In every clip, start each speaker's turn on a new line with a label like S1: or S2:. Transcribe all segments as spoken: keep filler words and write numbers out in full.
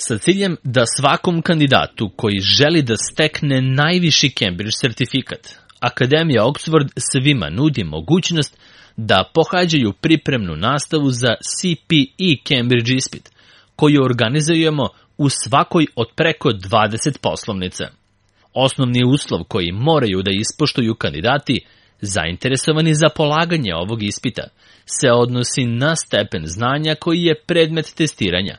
S1: Sa ciljem da svakom kandidatu koji želi da stekne najviši Cambridge sertifikat, Akademija Oxford svima nudi mogućnost da pohađaju pripremnu nastavu za C P E Cambridge ispit, koju organizujemo u svakoj od preko dvadeset poslovnica. Osnovni uslov koji moraju da ispoštuju kandidati zainteresovani za polaganje ovog ispita se odnosi na stepen znanja koji je predmet testiranja,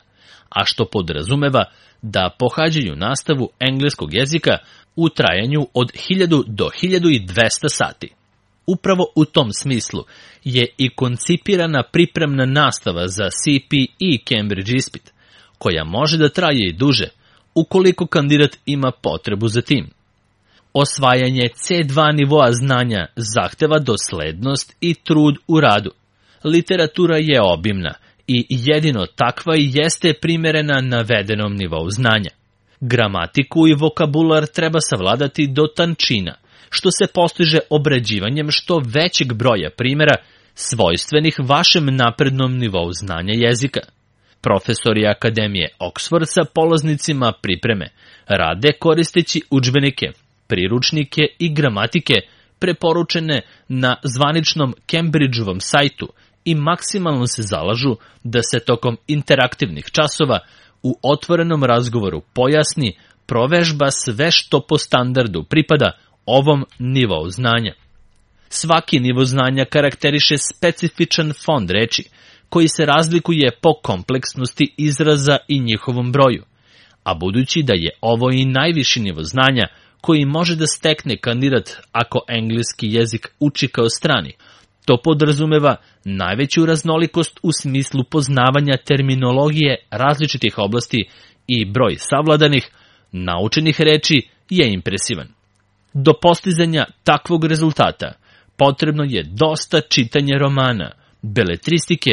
S1: a što podrazumeva da pohađaju nastavu engleskog jezika u trajanju od hiljadu do hiljadu dvesta sati. Upravo u tom smislu je i koncipirana pripremna nastava za C P E Cambridge ispit, koja može da traje i duže, ukoliko kandidat ima potrebu za tim. Osvajanje C dva nivoa znanja zahteva doslednost i trud u radu. Literatura je obimna i jedino takva i jeste primerena navedenom nivou znanja. Gramatiku i vokabular treba savladati do tančina, što se postiže obrađivanjem što većeg broja primjera svojstvenih vašem naprednom nivou znanja jezika. Profesori Akademije Oxford sa polaznicima pripreme rade koristeći udžbenike, priručnike i gramatike preporučene na zvaničnom Cambridgeovom sajtu i maksimalno se zalažu da se tokom interaktivnih časova u otvorenom razgovoru pojasni, provežba sve što po standardu pripada ovom nivou znanja. Svaki nivo znanja karakteriše specifičan fond reči, koji se razlikuje po kompleksnosti izraza i njihovom broju, a budući da je ovo i najviši nivo znanja koji može da stekne kandidat ako engleski jezik uči kao strani, to podrazumeva najveću raznolikost u smislu poznavanja terminologije različitih oblasti i broj savladanih, naučenih reči je impresivan. Do postizanja takvog rezultata potrebno je dosta čitanja romana, beletristike,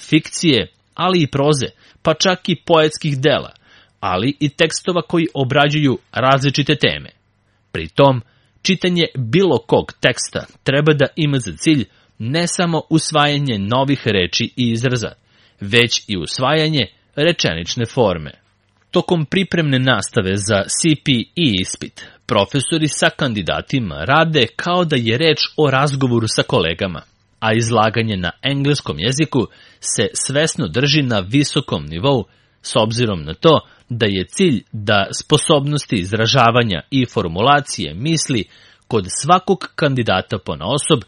S1: fikcije, ali i proze, pa čak i poetskih dela, ali i tekstova koji obrađuju različite teme. Pri tom, čitanje bilo kog teksta treba da ima za cilj ne samo usvajanje novih reči i izraza, već i usvajanje rečenične forme. Tokom pripremne nastave za C P E ispit, profesori sa kandidatima rade kao da je reč o razgovoru sa kolegama, a izlaganje na engleskom jeziku se svesno drži na visokom nivou, s obzirom na to da je cilj da sposobnosti izražavanja i formulacije misli kod svakog kandidata ponaosob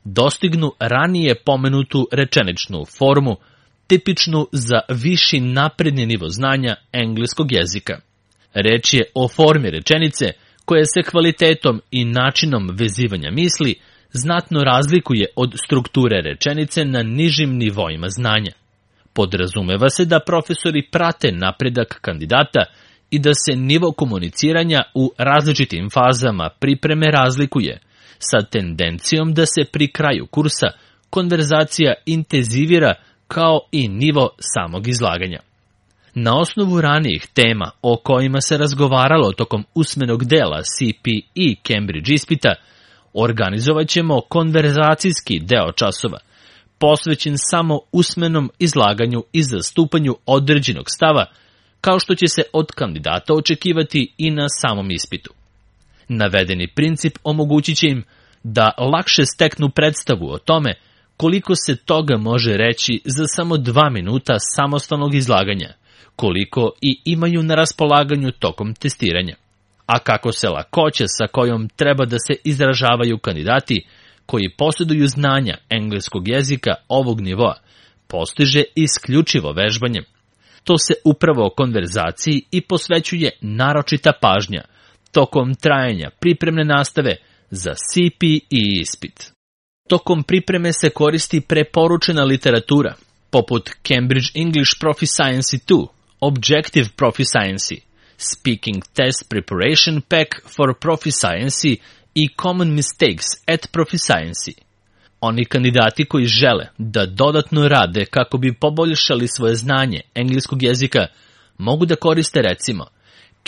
S1: dostignu ranije pomenutu rečeničnu formu, tipičnu za viši napredni nivo znanja engleskog jezika. Reč je o formi rečenice koja se kvalitetom i načinom vezivanja misli znatno razlikuje od strukture rečenice na nižim nivoima znanja. Podrazumeva se da profesori prate napredak kandidata i da se nivo komuniciranja u različitim fazama pripreme razlikuje, sa tendencijom da se pri kraju kursa konverzacija intenzivira kao i nivo samog izlaganja. Na osnovu ranijih tema o kojima se razgovaralo tokom usmenog dela C P E Cambridge ispita, organizovat ćemo konverzacijski deo časova, posvećen samo usmenom izlaganju i zastupanju određenog stava, kao što će se od kandidata očekivati i na samom ispitu. Navedeni princip omogućit će im da lakše steknu predstavu o tome koliko se toga može reći za samo dva minuta samostalnog izlaganja, koliko i imaju na raspolaganju tokom testiranja, a kako se lakoća sa kojom treba da se izražavaju kandidati koji posjeduju znanja engleskog jezika ovog nivoa postiže isključivo vežbanjem. To se upravo konverzaciji i posvećuje naročita pažnja tokom trajanja pripremne nastave za C P E ispit. Tokom pripreme se koristi preporučena literatura, poput Cambridge English Proficiency dva, Objective Proficiency, Speaking Test Preparation Pack for Proficiency i Common Mistakes at Proficiency. Oni kandidati koji žele da dodatno rade kako bi poboljšali svoje znanje engleskog jezika mogu da koriste recimo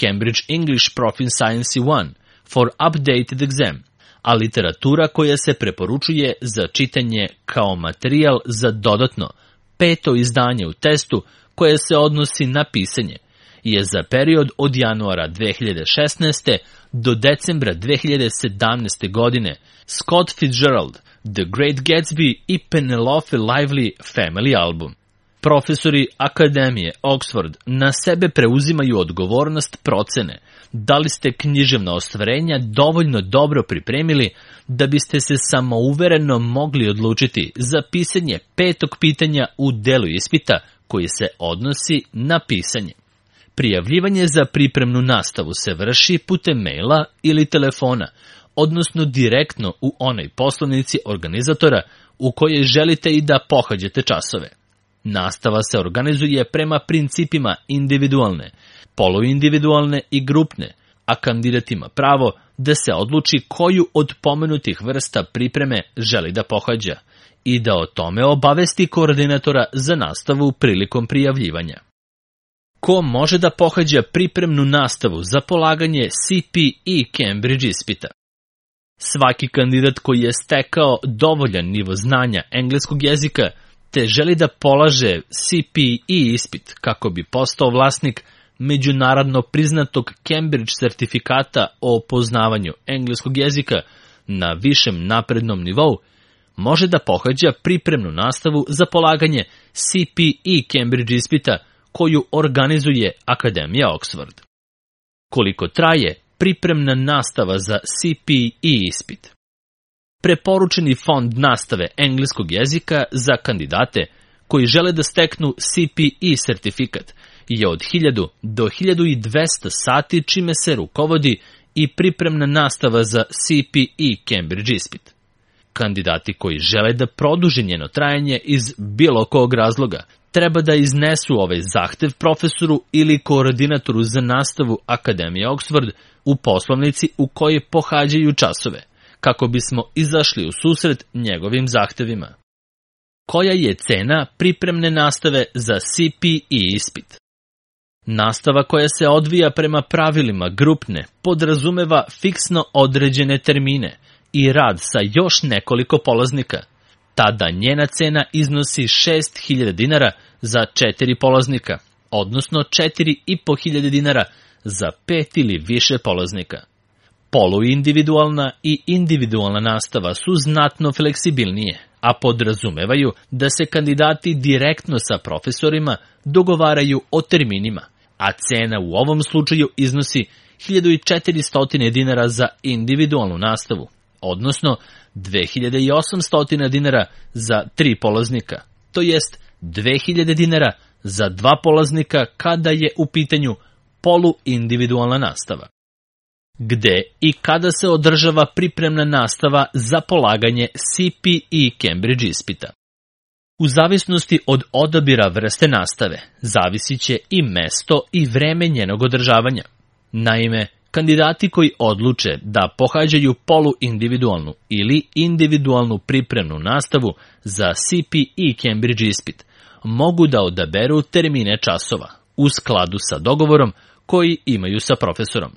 S1: Cambridge English Proficiency jedan for Updated Exam, a literatura koja se preporučuje za čitanje kao materijal za dodatno peto izdanje u testu koje se odnosi na pisanje je za period od januara dve hiljade šesnaeste. do decembra dve hiljade sedamnaeste. godine Scott Fitzgerald, The Great Gatsby i Penelope Lively Family album. Profesori Akademije Oxford na sebe preuzimaju odgovornost procene da li ste književna ostvarenja dovoljno dobro pripremili da biste se samouvereno mogli odlučiti za pisanje petog pitanja u delu ispita koji se odnosi na pisanje. Prijavljivanje za pripremnu nastavu se vrši putem maila ili telefona, odnosno direktno u onoj poslovnici organizatora u kojoj želite i da pohađate časove. Nastava se organizuje prema principima individualne, poluindividualne i grupne, a kandidat ima pravo da se odluči koju od pomenutih vrsta pripreme želi da pohađa i da o tome obavesti koordinatora za nastavu prilikom prijavljivanja. Ko može da pohađa pripremnu nastavu za polaganje C P E Cambridge ispita? Svaki kandidat koji je stekao dovoljan nivo znanja engleskog jezika te želi da polaže C P E ispit kako bi postao vlasnik međunarodno priznatog Cambridge sertifikata o poznavanju engleskog jezika na višem naprednom nivou, može da pohađa pripremnu nastavu za polaganje C P E Cambridge ispita koju organizuje Akademija Oxford. Koliko traje pripremna nastava za C P E ispit? Preporučeni fond nastave engleskog jezika za kandidate koji žele da steknu C P E sertifikat je od hiljadu do hiljadu dvesta sati, čime se rukovodi i pripremna nastava za C P E Cambridge ispit. Kandidati koji žele da produže njeno trajanje iz bilo kog razloga treba da iznesu ovaj zahtev profesoru ili koordinatoru za nastavu Akademije Oxford u poslovnici u kojoj pohađaju časove, kako bismo izašli u susret njegovim zahtevima. Koja je cena pripremne nastave za C P E ispit? Nastava koja se odvija prema pravilima grupne podrazumeva fiksno određene termine i rad sa još nekoliko polaznika. Tada njena cena iznosi šest hiljada dinara za četiri polaznika, odnosno četiri i po hiljade dinara za pet ili više polaznika. Poluindividualna i individualna nastava su znatno fleksibilnije, a podrazumevaju da se kandidati direktno sa profesorima dogovaraju o terminima, a cena u ovom slučaju iznosi hiljadu četiristo dinara za individualnu nastavu, odnosno dve hiljade osamsto dinara za tri polaznika, to jest dve hiljade dinara za dva polaznika kada je u pitanju poluindividualna nastava. Gde i kada se održava pripremna nastava za polaganje C P E Cambridge ispita? U zavisnosti od odabira vrste nastave, zavisit će i mesto i vreme njenog održavanja. Naime, kandidati koji odluče da pohađaju poluindividualnu ili individualnu pripremnu nastavu za C P E Cambridge ispit mogu da odaberu termine časova u skladu sa dogovorom koji imaju sa profesorom.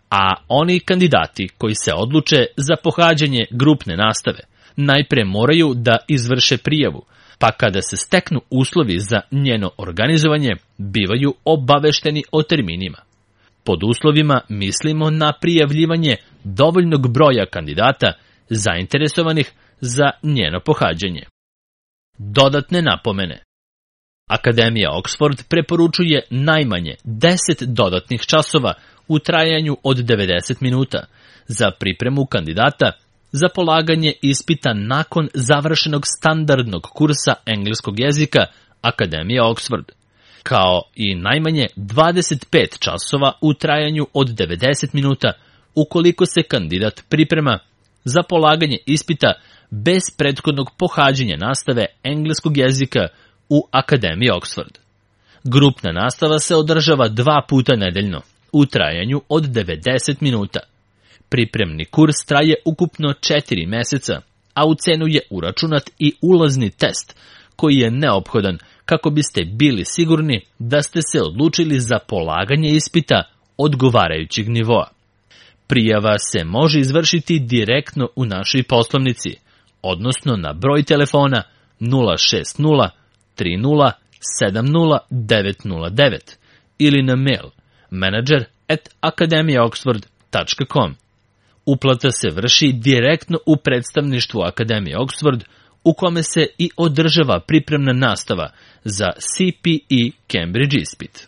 S1: A oni kandidati koji se odluče za pohađanje grupne nastave najpre moraju da izvrše prijavu, pa kada se steknu uslovi za njeno organizovanje, bivaju obavešteni o terminima. Pod uslovima mislimo na prijavljivanje dovoljnog broja kandidata zainteresovanih za njeno pohađanje. Dodatne napomene. Akademija Oxford preporučuje najmanje deset dodatnih časova u trajanju od devedeset minuta za pripremu kandidata za polaganje ispita nakon završenog standardnog kursa engleskog jezika Akademije Oxford, kao i najmanje dvadeset pet časova u trajanju od devedeset minuta ukoliko se kandidat priprema za polaganje ispita bez prethodnog pohađanja nastave engleskog jezika u Akademiji Oxford. Grupna nastava se održava dva puta nedeljno u trajanju od devedeset minuta. Pripremni kurs traje ukupno četiri meseca, a u cenu je uračunat i ulazni test koji je neophodan kako biste bili sigurni da ste se odlučili za polaganje ispita odgovarajućeg nivoa. Prijava se može izvršiti direktno u našoj poslovnici, odnosno na broj telefona nula šest nula tri nula sedam nula devet nula devet ili na mail manager at akademija oxford tačka com. Uplata se vrši direktno u predstavništvu Akademije Oxford, u kome se i održava pripremna nastava za C P E Cambridge ispit.